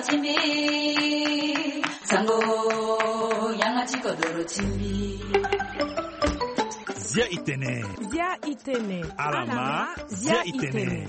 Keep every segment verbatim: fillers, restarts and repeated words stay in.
Timbi, sango, yanga ti kodoro timbi. Zia itene. Zia itene. Alama, zia itene.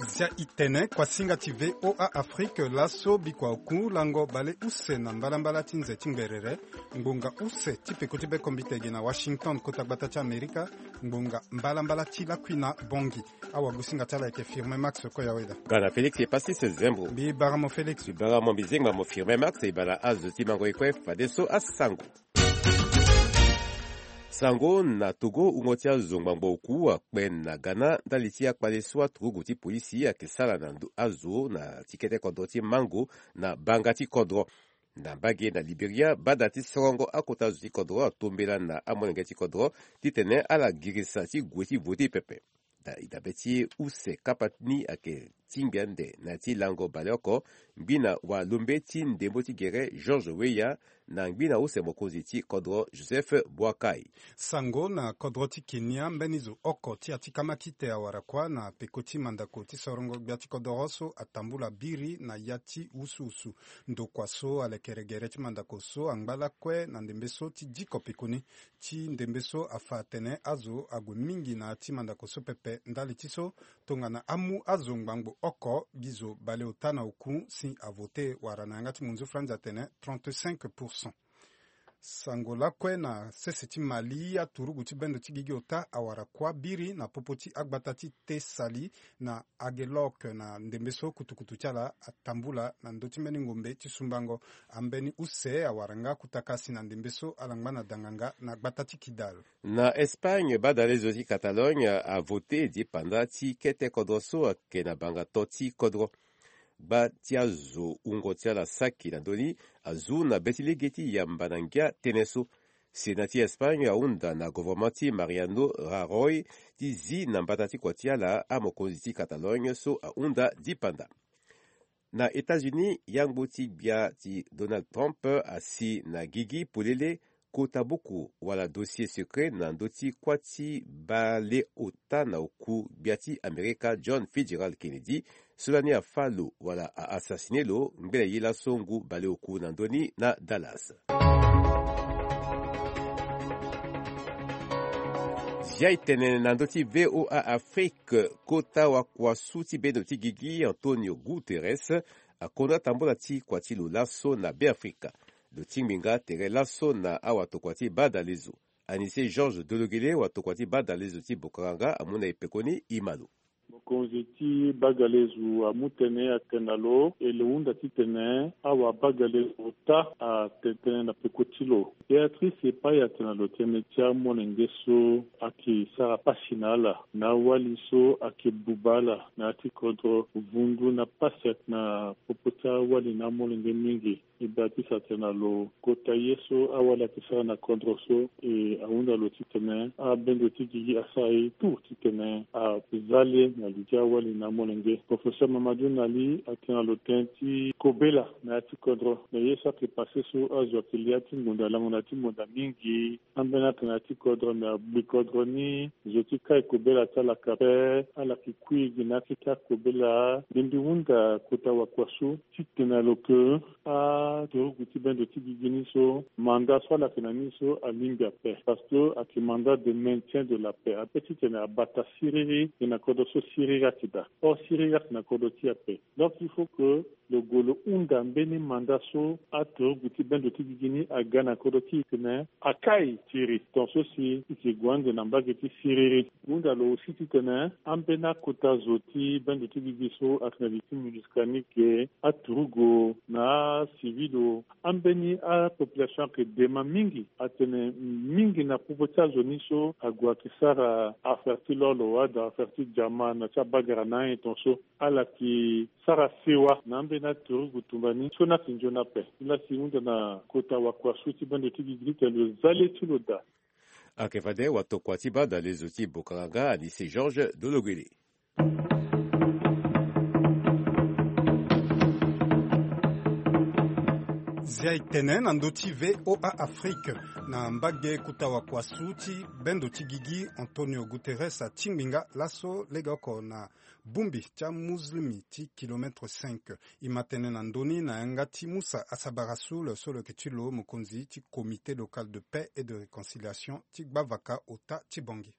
Zia itene, kuasinga ti V O A Afrique, laso bikua oku lango bale use na mbalambala ti nze ti ngberere, ngbonga use ti peko ti bekombite ge na Washington, kota gbata ti Amerika, ngbonga mbalambala ti lakui na Bongi. Awagosinga ti ala ayeke Firmin Max Koyaweda. Ga na Félix Epasis Zembo. Mbi bara mo Félix. Mbi bara mo, mbi zengba mo Firmin Max, e bara azo ti mango e kue fadeso asango. Sango na Togo, wungo ti azo ngbangbo oku akpe na Ghana ndali ti akpale so aturugu ti polisi ayeke sara na ndo azo na ti kete kodro ti Mango na banga ti kodro. Na mbage na Liberia, bada ti sorongo akota zo ti kodro atombela na amolenge ti kodro titene ala girisa ti gue ti vote pepe. Da-, e dabe ti use kapa ni ayeke tingbi ande na ya ti lango baleoko, ngbina walombe ti ndembo ti gere Georges Weah na ngbina use mokonzi ti kodro Joseph Boakai. Sango na kodro ti Kenya, mbeni zo oko ti ya ti kamakite awara kuâ na peko ti mandako ti sorongo gbia ti kodoro so atambula biri na ya ti wusuwusu. Ndokua so alekere gere ti mandako so angba lakue na ndembe so ti diko peko ni. Ti ndembe so afa atene azo ague mingi na ya ti mandako so pepe. Ndali ti so, tongana amu azo ngbangbo oko, gi zo baleota na oku si avote, wala na yanga ti monzu franzi atene trente-cinq pour cent. Sango lakue na sese ti Mali, aturugu ti bendo ti gigi ota awara kuâ biri na popo ti agbata ti Tessali na Aguelhok na ndembe so kutukutu ti ala atambula na ndö ti mbeni ngombe ti sumbango. Ambeni use awara nga kutaka si na ndembe so ala ngba na danganga na gbata ti Kidal. Na Espagne, badalezo ti Catalogne avote dipanda ti kete kodro so ayeke na banga to ti kodro. Gba ti azo wungo ti ala saki na ndö ni azu na be ti lege ti yamba na ngia tënë so. Sénat ti Espagne ahunda na gouvernement ti Mariano Rajoy ti zi na mbata ti kua ti ala amokonzi ti Catalogne so ahunda dipanda. Na États-Unis, yangbo ti gbia ti Donald Trump asi na gigi polele kota buku wala dossier secret na ndö ti kuâ ti baleota na oku gbia ti Amerika John Fitzgerald Kennedy, so lani afâ lo wala a-assassine lo ngbene ye laso ngu baleoku na ndö ni na Dallas. Zia e tene na ndö ti V O A Afrique, kota wakuasu ti bendo ti gigi Antonio Guterres akonda tambula ti kua ti lo laso na Beafrika. Lo tingbi nga tere laso na awatokua ti badalezo. Anissé Georges Dologuélé, watokua ti badalezo ti Bokaranga, amu na e pekoni, e ma lo. Mokonzi ti bagalezo amu tënë atene na lo, e lo hunda titene awabagalezo ota atene tënë na peko ti lo. Béatrice Epaya atene na lo tënë ti amolenge so ayeke sara pasi na ala, na awali so ayeke buba ala na ya ti kodro, vundu na pasi ayeke na popo ti awali na amolenge mingi. E Béatrice atene na lo kota ye so awali ayeke sara na kodro so, e ahunda lo titene abendo ti gigi asara ye tout titene aza le na li ti awali na amolenge. Professeur Mamadou Nali atene na lo tënë ti kobela na ya ti kodro, na ye so ayeke passé so azo ayeke lia ti ngonda lango na ya ti ngonda mingi. Ambeni atene na ya ti kodro me agbi kodro ni, zo ti kai kobela ti ala yeke ape, ala yeke kui gi na ya ti kai kobela. Mbi mbi hunda kota wakuasu titene na lo ke aturugu ti bendo ti gigi ni so, mandat so ala yeke na ni so alingbi ape, parce que ayeke mandat de maintien de la paix, ape titene abata siriri, e na kodro so siriri ayeke daa. Or siriri ayeke na kodro ti e ape. Donc il faut que lo gue lo hunda mbeni mandat so aturugu ti bendo ti gigi ni aga na kodro ti e titene akai tiri. Ton so si e yeke gue ande na mbage ti siriri. Hunda lo aussi titene ambeni akota zo ti bendo ti gigi so ayeke na li ti MINUSCA ni ge, aturugu na acivil o, ambeni apopulation ayeke dema mingi. Atene mingi na popo ti azo ni so ague ayeke sara affaire ti lolo, wala affaire ti diamant na ti abagara na ayen ton so. Ala yeke sara sewa na ambeni aturugu tumba ni so ni ayeke nzoni ape. Ni la si e hunda na kota wakuasu ti bendo ti gigi titene lo za le ti lo daa. Ayeke fade watokua ti badalezo ti Bokaranga, Anissé Georges Dologuélé. Zia etene na ndö ti VOA Afrique. Na mbage kota wakuasu ti bendo ti gigi, Antonio Guterres atingbi nga laso legeoko na bongbi ti amuslimi ti kilomètre cinq. E ma tene na ndö ni na yanga ti Musa Asabara Soul so lo yeke ti lo mokonzi ti Comité local de paix et de réconciliation ti gbavaka ota ti Bangui.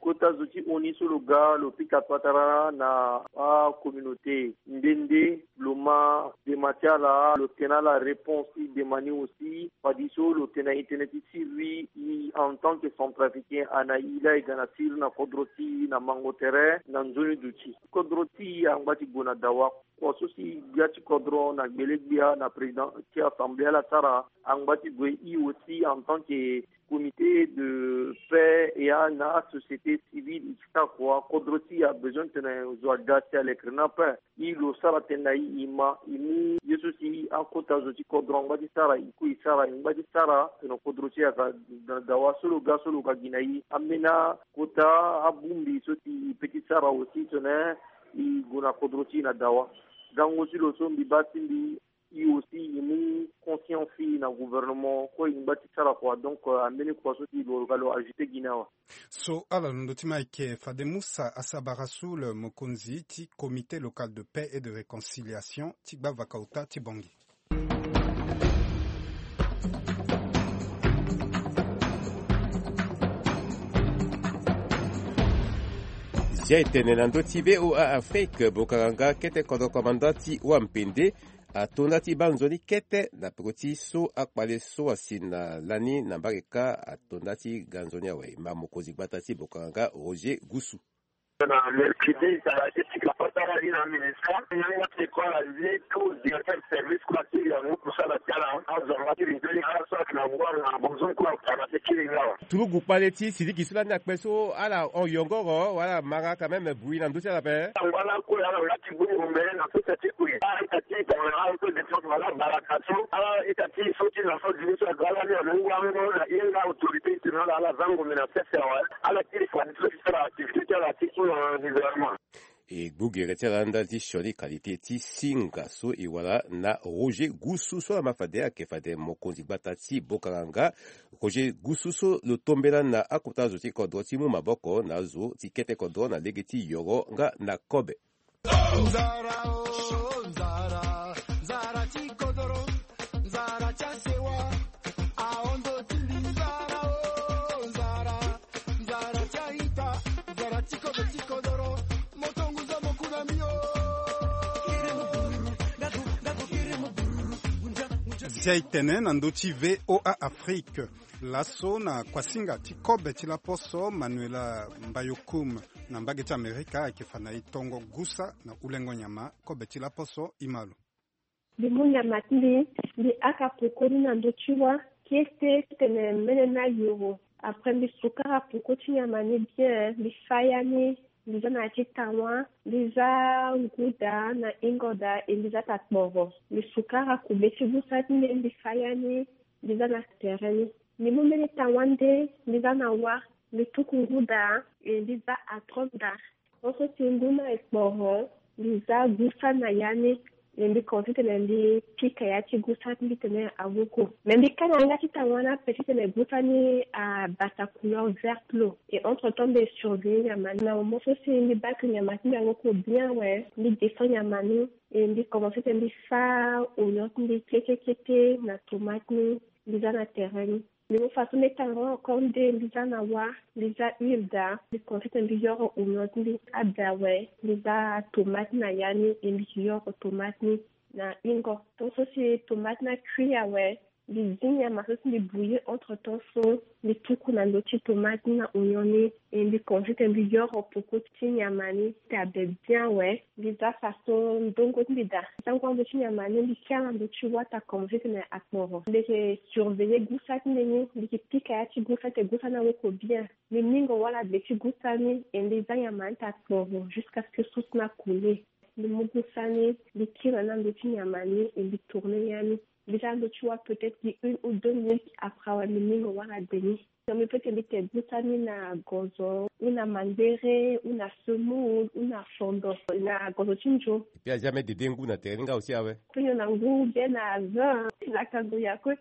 Kota zo ti ONU so lo ga lo pika patara na acommunauté nde nde lo ma dema ti ala, lo tene ala réponse ti dema ni aussi. Fadi so lo tene na internet ti siriri, e en tant que centrafricain, ana e laa e ga na siriri na kodro ti e na mango tere na nzoni duti. Kodro ti e angba ti gue na dawa. Kua so si gbia ti kodro na gbele gbia na président ti assemblée ala sara, angba ti gue e aussi en tant que comité de paix et a na asociété civile, e ti sara kua. Kodro ti e abezoin tene zo aga si alekere ni ape. E lo sara tënë na e, e ma e mu ye so si akota zo ti kodro angba ti sara, e ku e sara, e ngba ti sara tene kodro ti e aga na dawa. So lo ga so lo ga gi na e ambeni akota abongbi so si e pe ti sara aussi tene e gue na kodro ti e na dawa. Gango ti lo so mbi baa ti mbi, e aussi e mu conscience ti e na gouvernement kue, e ngba ti sara kua. Donc, euh, ambeni kua so si lo ga lo ajouter gi ni awe. So ala londo ti ma eke fade Musa Asabara Soul, mokonzi ti Comité local de paix et de réconciliation ti gbavaka ota ti Bangui. Zia etene na ndö ti VOA Afrique, bokanga nga kete kodro komanda ti wampende atonda ti baa nzoni kete na peko ti so akpale so asi na lani na mbage kâ atonda ti ga nzoni awe. Ma mokonzi gbata ti bokanga nga Roger Gusu. Na mercredi, ala ti pika patara ni na ministre, yanga ti école azi tout directeur service kue asili yango kusala ti ala azo anga ti li nzoni ala so ayeke na ngua na bozo kue ala ti kiri nga awe. Turugu kpale ti sidiki so lani akpe so ala hon yongoro wala mara quand même bui na ndö ti ala ape. Angba lakue ala nga ti bongbo mbele na sese ti kue. Ala ita ti tongana ala so défense wala baraka so ala ita ti so ti na so dili so aga ala ni alo ngua ngo na hinga autorité ti tene ala ala za ngombe na sese awe. Ala kiri fadi so ti sara activité ti ala ti so na gouvernement. E gbu gere ti ala ndali ti sioni qualité ti singa so e wara na Roger Gusu so ala ma fade ayeke fade mokonzi gbata ti bokanga nga. Roger Gusu so lo tombela na akota zo ti kodro ti mu maboko na azo ti kete kodro na lege ti yoro nga na kobe. Nzara o nzara, nzara ti kodoro, nzara ti asewa, ahondo ti mbi nzara o nzara, nzara ti aita, nzara ti kobe ti kodoro, moto ngu zo mo ku na mbi o. Zia etene na ndö ti VOA Afrique. Laso na kuasinga ti kobe ti laposo Manuela Mbayokoum na mbage ti Amerika ayeke fa na e tongo gusa na hulengo nyama. Kobe ti laposo e ma lo. Mbi mu nyama ti mbi, mbi haka peko ni na ndö ti wâ, kete titene mbeni ni ayoro. Après mbi sukara peko ti nyama ni bien, mbi fâ ya ni, mbi za na ya ti tawa, mbi za ngu daa na hingo daa, e mbi za takporo. Mbi sukara kube ti gusa ti mbi, mbi fâ ya ni, mbi za na tere ni. Mbi mu mbeni tawa nde, mbi za na wâ, mbi tuku ngu daa, e mbi za atron daa. Mon so si ngu ni akporo, mbi za gusa na ya ni, e mbi komanse titene mbi pika ya ti gusa ti mbi titene awoko. Me mbi ka na yanga ti tawa ni ape titene gusa ni abata couleur verte lo. E entre temps mbi surveiller nyama ni. Na moment so si mbi bake nyama ti mbi awoko bien awe, mbi descend nyama ni, e mbi komanse titene mbi fâ oignon ti mbi kete kete na tomate ni, mbi za na tere ni. Mbi mu faso mbi tanga encore nde, mbi za na wâ, mbi za huile daa, mbi komanse titene mbi yoro oignon ti mbi, abe awe, mbi za tomate na ya ni, e mbi yoro tomate ni na hingo. Tant so si tomate ni acui awe, mbi zi nyama so si mbi bouillir entre temps so, mbi tuku na ndö ti tomate ni na oignon ni, e mbi komanse titene mbi yoro peko ti nyama ni ti abe bien awe. Mbi za faso ndongo ti mbi daa. Tangu ando ti nyama ni, mbi kia na ndö ti wâ ti akomanse titene akporo. Mbi yeke surveiller gusa ti mbi ni, mbi yeke pika ya ti gusa ti tene gusa ni awoko bien. Mbi mingo wala be ti gusa ni, e mbi za nyama ni ti akporo jusqu'à ce que sauce ni akoule. Mbi mu gusa ni, mbi kiri na ndö ti nyama ni, e mbi tourner ya ni. Déjà ndo ti wa peut-être gi une ou deux minutes après awe mbi mingo wara deni. Donc mbi peut ti mbi ke gusa ni na gozo ou na mangbere ou na semoule ou na fondo na gozo ti nzo. Puis a jamais dede ngu na tere ni nga aussi awe. Pe nyon na ngu bien na vin na kango ya kue.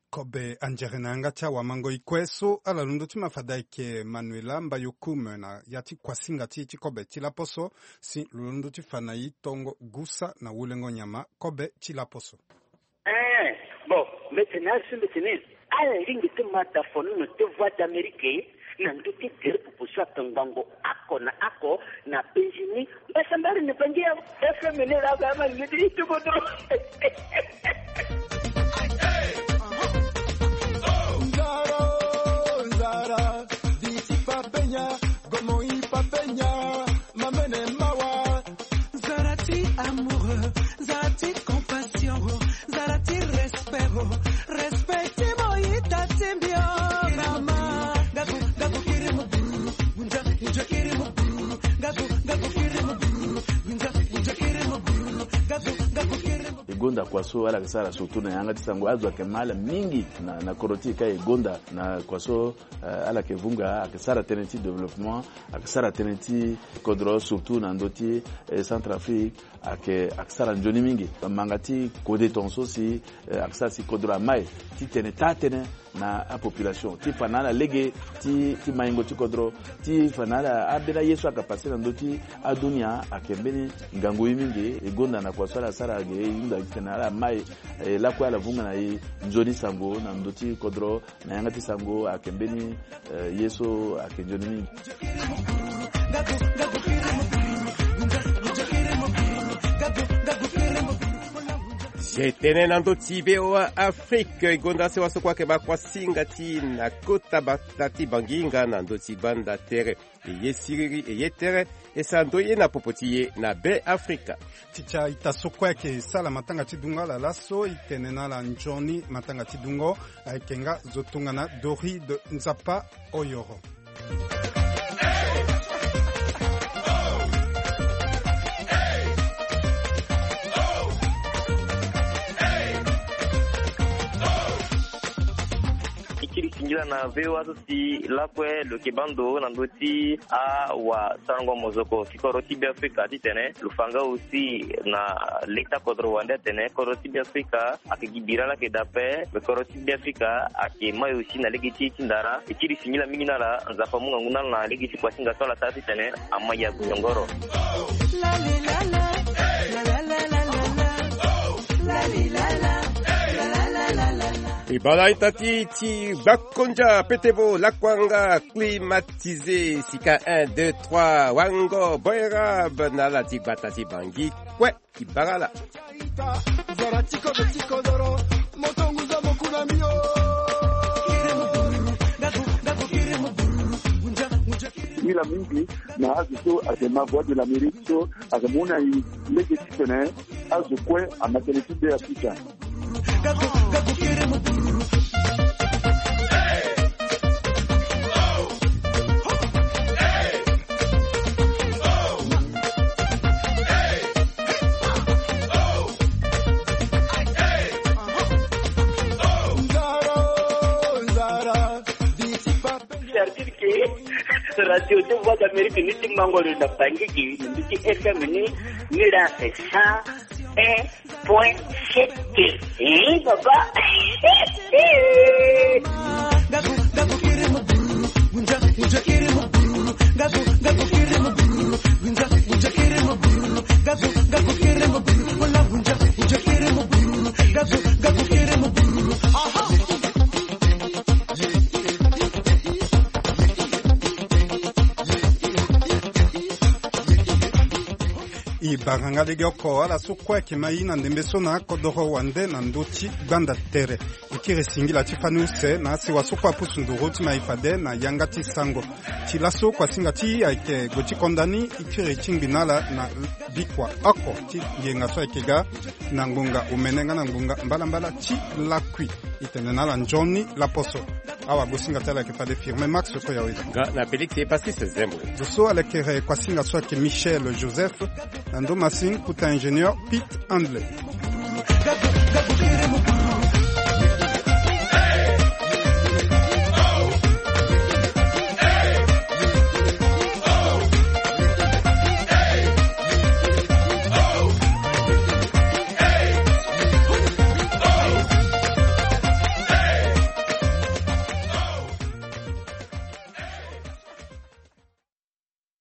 Kobe anzere na yanga ti awamango ikue so ala londo ti ma fade ayeke Manuela Mbayokume na ya ti kuasinga ti e ti kobe ti laposo. Si lo londo ti fa na e tongo gusa na wulengo nyama kobe ti laposo. Eh, bon, mete na asu mete ni. Ala lingi ti ma da fono no te Voix d'Amérique na ndö ti tere popo so akangbango ako na ako na penzi ni. Mbasambari ni bangi ya F M ni la ba ma ni ti tuko do. Nzara, nzara, diti papenya, gomo i papenya, mamene mawa. Nzara ti amoureux, nzara ti compassion, nzara ti respect, respect ti mo ita ti mbio mama. Gaku, gaku kiri mo buru, gunja, gunja kiri mo buru, gaku, gaku kiri mo buru, gunja, gunja kiri mo buru, gaku, gaku kiri mo. E gonda kua so ala yeke sara surtout na yanga ti sango azo ayeke ma ala mingi na, na kodro ti e ka e gonda na kua so, eh, ala yeke vunga ayeke sara tënë ti développement, ayeke sara tënë ti kodro surtout na ndö ti, eh, Centrafrique. Ayeke, ayeke sara nzoni mingi. Manga ti kode tongaso si, eh, ayeke sara si kodro amai titene taa tënë na apopulation ti fa na ala lege ti, ti maingo ti kodro, ti fa na ala ambeni aye so ayeke pase na ndö ti adunia ayeke mbeni ngangu ye mingi. E gonda na kua so ala sara ge e hunda titene ala mai, eh, lakue ala vunga na e nzoni sango na ndö ti kodro. Na yanga ti sango ayeke mbeni, eh, ye so ayeke nzoni mingi. Ye tene na ndö ti V O A Afrique, e gonda sewa so kue ayeke ba kuasinga ti na kota bata ti banginga na ndö ti banda tere. E ye siriri, e ye tere, e sara ndo ye na popo ti ye na Be Afrika. Ti ti a-ita so kue ayeke sala matanga ti dungo ala laso, e tene na ala nzoni matanga ti dungo. Ayeke nga zo tongana Doride Nzapa Oyoro. E kiri singila na V O A so si lakue lo yeke baa ndo na ndö ti awasarango mozoko ti kodro ti Be Afrika titene lo fa nga aussi na leta kodro wande atene kodro ti Be Afrika ayeke gi bira laa ayeke daa ape. Me kodro ti Be Afrika ayeke mai aussi na lege ti e ti ndara. E kiri singila mingi na ala, Nzapa amu ngangu na ala na lege ti kuasinga so ala sara titene amai ague nyongoro. E bala ita ti ti gbakonja petevo lakuanga climatisé sika un deux trois wango boerab na ala ti gbata ti bangi kue. Ti bagala. Mila mingi na azo so ayeke ma Voix de l'Amérique so ayeke mu na e lege titene azo kue ama tënë ti Be Afrika. Certitude ke radio ti Voix d'Amérique ni ti mango lo na Bangui gi mbi ti F M ni, ni la sa. Eh, point sept. Eh, papa. E bara nga lege oko ala so kue ayeke ma e na ndembe so na kodoro wande na ndö ti gbanda tere. E kiri singila ti fani use na asewa so kue apusu nduru ti ma e fade na yanga ti sango. Ti laso kuasinga ti e ayeke gue ti konda ni. E kiri ti ngbi na ala na bikua oko ti yenga so ayeke ga na ngbonga omene nga na ngbonga mbalambala ti lakui. E tene na ala nzoni laposo. Awagosinga ti ala ayeke fade Firmin Max Koyawe. Nga na Félix et Pastis Zembo. Zo so ala yeke re kuasinga so ayeke Michel Joseph. Na ndo masin kuta ingénieur Pete Handley.